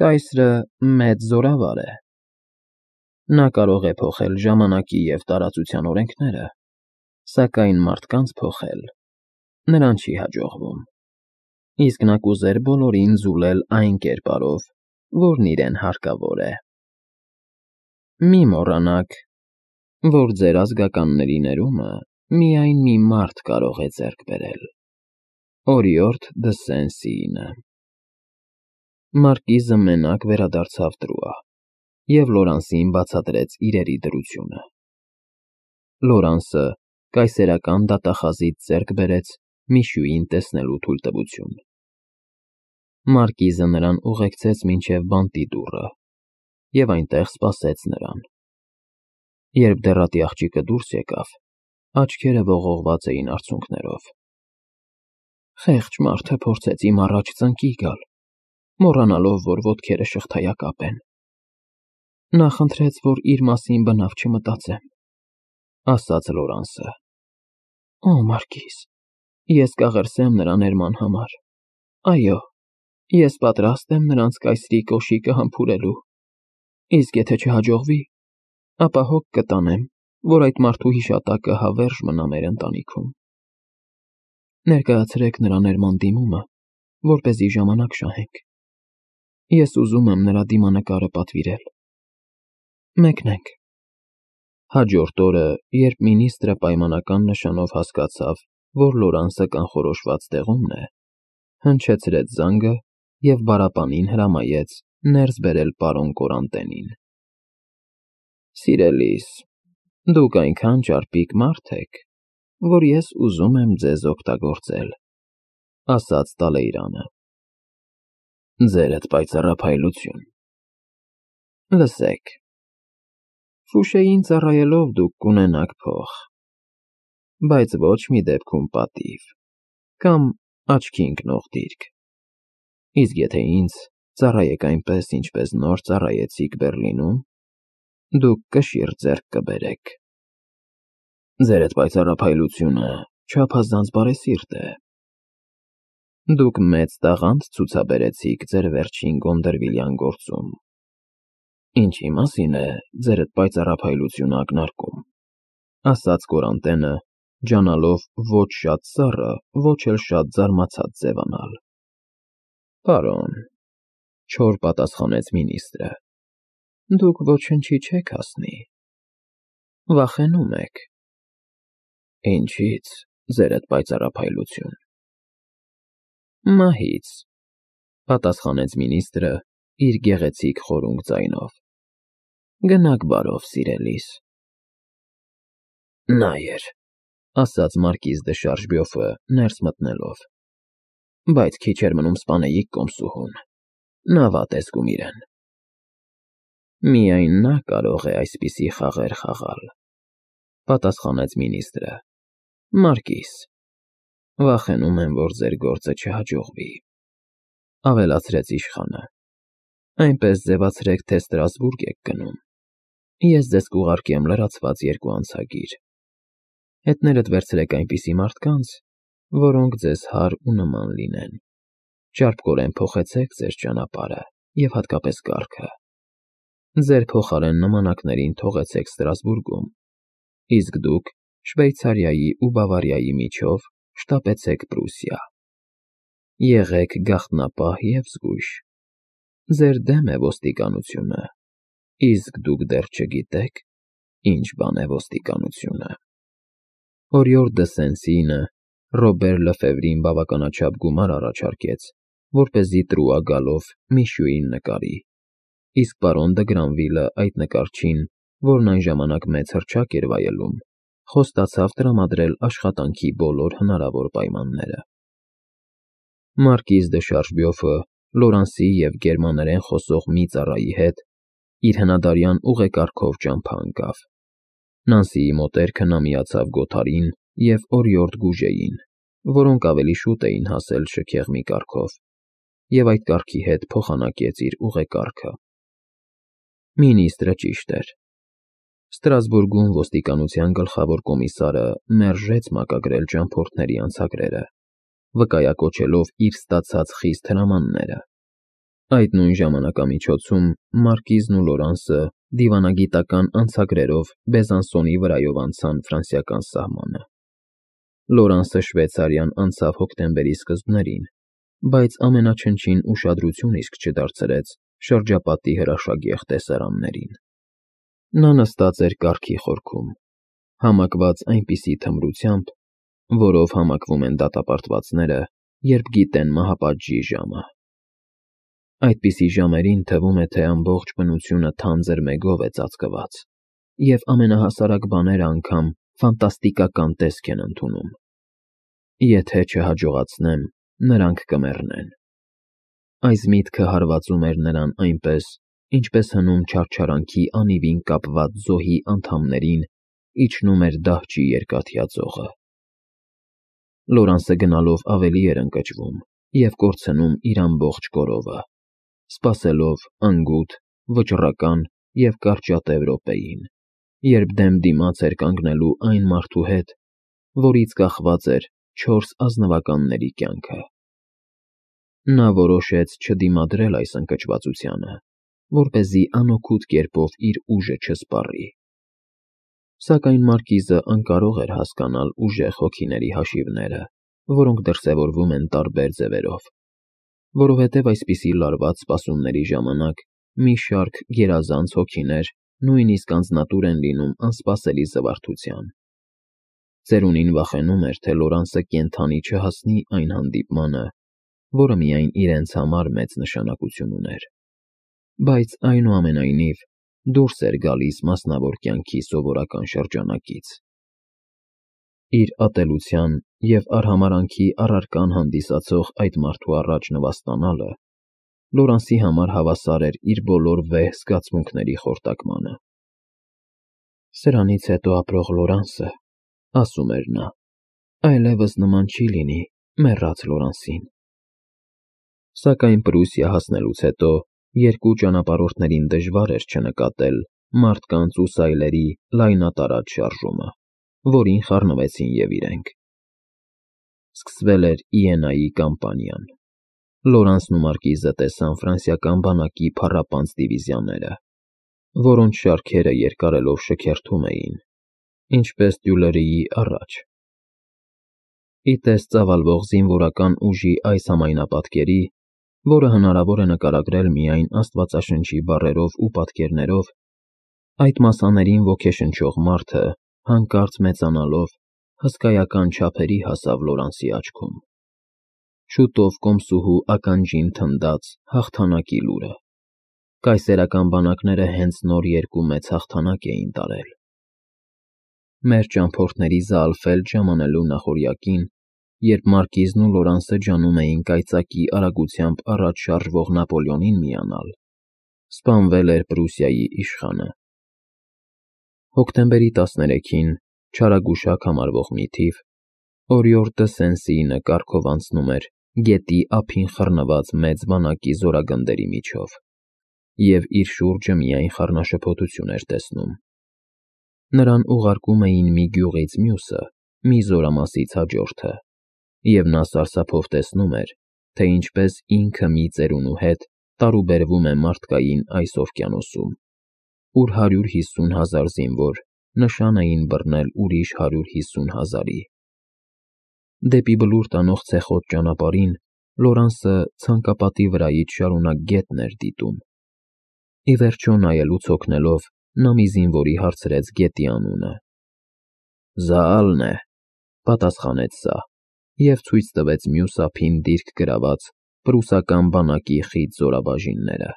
Կայսրը մեծ զորավար է։ Նա կարող է փոխել ժամանակի և տարածության օրենքները, սակայն մարդկանց փոխել նրան չի հաջողվում, իսկ նա կուզեր բոլորին զուլել այն կերպարով, որն իրեն հարկավոր է։ Մի մոռանաք, որ ձեր ազգականների ներումը միայն մի մարդ կարող է ձեռք բերել. Օրիորդ դը Սեն-Սիինը։ Մարկիզը մենակ վերադարձավ տրուա և Լորանսին բացատրեց իրերի դրությունը։ Լորանսը կայսերական դատախազից ձեռք բերեց Միշուին տեսնելու թույլտվություն։ Մարկիզը նրան ուղեկցեց մինչև բանտի դուռը և այնտեղ սպասեց նրան։ Երբ դեռատի աղջիկը դուրս եկավ, աչքերը ողողված էին արցունքներով։ Խեղճ մարդը փորձեց իմ առաջ ծնկի գալ, մոռանալով, որ ոտքերը շղթայակապ են։ Նա խնդրեց, որ իր մասին բնավ չմտածեմ, ասաց Լորանսը։ Օ, Մարկիզ, ես կաղերսեմ նրա ներման համար։ Այո, ես պատրաստ եմ նրանց կայսրի կոշիկը համբուրելու, իսկ եթե չհաջողվի, ապա հոգ կտանեմ, որ այդ մարդու հիշատակը հավերժ մնա մեր ընտանիքում։ Ներկայացրեք նրա ներման դիմումը, որպեսզի ժամանակ շահենք։ Ես ուզում եմ նրա դիմանկարը պատվիրել։ Մեկնենք։ Հաջորդ օրը, երբ մինիստրը պայմանական նշանով հասկացավ, որ Լորանսը կանխորոշված տեղումն է, հնչեցրեց զանգը և բարապանին հրամայեց ներս բերել պարոն Կորանտենին։ Սիրելիս, դուք այնքան ճարպիկ մարդ եք, որ ես ուզում եմ ձեզ օգտագործել, ասաց Տալեյրանը։ Ձերդ պայծառափայլություն։ Լսեք, Ֆուշեին ծառայելով դուք կունենաք փող, բայց ոչ մի դեպքում պատիվ կամ աչքի ընկնող դիրք, իսկ եթե ինձ ծառայեք այնպես, ինչպես նոր ծառայեցիք Բեռլինում, դուք կշիռ ձեռք կբերեք։ Ձերդ պայծառափայլությունը չափազանց բարեսիրտ է։ Դուք մեծ տաղանդ ցուցաբերեցիք ձեր վերջին Գոնդերվիլյան գործում։ Ինչի մասին է ձերդ պայծառափայլությունը ակնարկում, ասաց Կորանտենը, ջանալով ոչ շատ սառը, ոչ էլ շատ զարմացած ձևանալ։ Պարոն, չոր պատասխանեց մինիստրը, դուք ոչնչի չեք հասնի։ Վախենում եք։ Ինչի՞ց, ձերդ պայծառափայլություն։ Մահից, պատասխանեց մինիստրը իր գեղեցիկ խորունգ ձայնով։ Գնաք բարով, սիրելիս։ Նայեր, ասաց Մարկիզ դը Շարժբյոֆը ներս մտնելով։ Բայց քիչ էր մնում սպանեիք կոմսուհուն, նա վատ է զգում իրեն։ Միայն նա կարող է այսպիսի խաղեր խաղալ, պատասխանեց մինիստրը։ Մարկիզ, վախենում եմ, որ ձեր գործը չհաջողվի, ավելացրեց իշխանը։ Այնպես ձևացրեք, թե Ստրասբուրգ եք գնում։ Ես ձեզ կուղարկեմ լրացված երկու անցագիր։ Հետներդ վերցրեք այնպիսի մարդկանց, որոնք ձեզ հարր ու նման լինեն։ Ճարպկորեն փոխեցեք ձեր ճանապարհը և հատկապես կառքը։ Ձեր փոխարեն նմանակներին թողեցեք Ստրասբուրգում, իսկ դուք Շվեյցարիայի ու Բավարիայի միջով շտապեցեք Պրուսիա։ Եղեք գաղտնապահ և զգույշ։ Ձեր դեմ է ոստիկանությունը, իսկ դուք դեռ չգիտեք, ինչ բան է ոստիկանությունը։ Օրիորդ դը Սեն-Սիինը Ռոբեր Լեֆևրին բավականաչափ գումար առաջարկեց, որպեսզի տրուա գալով Միշուին նկարի, իսկ պարոն դը Գրանվիլը այդ նկարչին, որն այն ժամանակ մեծ հռչակ էր վայելում, խոստացավ տրամադրել աշխատանքի բոլոր հնարավոր պայմանները։ Մարկիզ դը Շարժբյոֆը Լորանսի և գերմաներեն խոսող մի ծառայի հետ իր հնադարյան ուղեկարգով ճամփա ընկավ։ Նանսիի մոտերքը նա միացավ Գոթարին և օրիորդ Գուժեին, որոնք ավելի շուտ էին հասել շքեղմի կառքով, և այդ կառքի հետ փոխանակեց իր ուղեկարգը։ Մինիստրը ճիշտ էր։ Ստրասբուրգում ոստիկանության գլխավոր կոմիսարը մերժեց մակագրել ճամփորդների անցագրերը, վկայակոչելով իր ստացած խիստ հրամանները։ Այդ նույն ժամանակամիջոցում Մարկիզն ու Լորանսը դիվանագիտական անցագրերով Բեզանսոնի վրայով անցան ֆրանսիական սահմանը։ Լորանսը Շվեյցարիան անցավ հոկտեմբերի սկզբներին, բայց ամենաչնչին ուշադրություն իսկ չդարձրեց շրջապատի հրաշագեղ տեսարաններին։ Նա նստած էր կառքի խորքում, համակված այնպիսի թմրությամբ, որով համակվում են դատապարտվածները, երբ գիտեն մահապատժի ժամը։ Այդպիսի ժամերին թվում է, թե ամբողջ բնությունը թանձր մեգով է ծածկված, և ամենահասարակ բաները անգամ ֆանտաստիկական տեսք են ընդունում։ Եթե չհաջողացնեմ, նրանք կմեռնեն։ Այս միտքը հարվածում էր նրան այնպես, ինչպես հնում չարչարանքի անիվին կապված զոհի անդամներին իջնում էր դահչի երկաթյա ծողը։ Լորանսը գնալով ավելի էր ընկճվում և կորցնում իր ամբողջ կորովը, սպասելով անգութ, վճռական և կարճատև րոպեին, երբ դեմ դիմաց էր կանգնելու այն մարդու հետ, որից կախված էր 4 ազնվականների կյանքը։ Նա որոշեց չդիմադրել այս ընկճվածությանը, որպեսզի անօգուտ կերպով իր ուժը չսպառի։ Սակայն Մարկիզը անկարող էր հասկանալ ուժեղ հոգիների հաշիվները, որոնք դրսևորվում են տարբեր ձևերով, որովհետև այսպիսի լարված սպասումների ժամանակ մի շարք գերազանց հոգիներ նույնիսկ անձնատուր են լինում անսպասելի զվարթության։ Ծերունին վախենում էր, թե Լորանսը կենդանի չհասնի այն հանդիպմանը, որը միայն իրենց համար մեծ նշանակություն ուներ, բայց այնուամենայնիվ դուրս էր գալիս մասնավոր կյանքի սովորական շրջանակից։ Իր ատելության և արհամարհանքի առարկան հանդիսացող այդ մարդու առաջ նվաստանալը Լորանսի համար հավասար էր իր բոլոր վեհ զգացմունքների խորտակմանը։ «Սրանից հետո ապրող Լորանսը, — ասում էր նա, — այլևս նման չի լինի մեռած Լորանսին»։ Սակայն Պրուսիա հասնելուց հետո երկու ճանապարհորդներին դժվար էր չնկատել մարդկանց ու սայլերի լայնատարած շարժումը, որին խառնվեցին և իրենք։ Սկսվել էր Իենայի կամպանիան։ Լորանսն ու Մարկիզը տեսան ֆրանսիական բանակի փառապանծ դիվիզիաները, որոնց շարքերը երկարելով շքերթում էին, ինչպես Տյուլերիի առաջ։ Ի տես ծավալվող զինվորական ուժի այս համայնապատկերի, որը հնարավոր է նկարագրել միայն աստվածաշնչի բառերով ու պատկերներով, այդ մասաներին ոգեշնչող մարդը, հանկարծ մեծանալով, հսկայական չափերի հասավ Լորանսի աչքում։ Շուտով կոմսուհու ականջին թնդաց հաղթանակի լուրը։ Կայսերական բանակները հենց նոր երկու մեծ հաղթանակ էին տարել։ Մեր ճամփորդների Զաալֆելդ ժամանելու նախօրյակին, երբ Մարկիզն ու Լորանսը ջանում էին կայծակի արագությամբ առաջ շարժվող Նապոլեոնին միանալ, սպանվել էր Պրուսիայի իշխանը։ Հոկտեմբերի 13-ին չարագուշակ համարվող մի թիվ Օրիորդ դը Սեն-Սիինը կառքով անցնում էր գետի ափին խռնված մեծ բանակի զորագնդերի միջով, և իր շուրջը միայն խառնաշփոթություն էր տեսնում։ Նրան ուղարկում էին մի գյուղից մյուսը, մի զորամասից հաջորդը, և նա սարսափով տեսնում էր, թե ինչպես ինքը մի ծերունու հետ տարուբերվում է մարդկային այս օվկիանոսում, ուր 150,000 զինվոր նշան էին բռնել ուրիշ 150,000-ի։ Դեպի Բլուր տանող ցեխոտ ճանապարհին Լորանսը ցանկապատի վրայից շարունակ գետն էր դիտում։ Ի վերջո, նայելուց հոգնելով, նա մի զինվորի հարցրեց գետի անունը։ «Զաալն է», ֊ պատասխանեց սա և ցույց տվեց մյուս ափին դիրք գրաված պրուսական բանակի խիտ զորաբաժինները։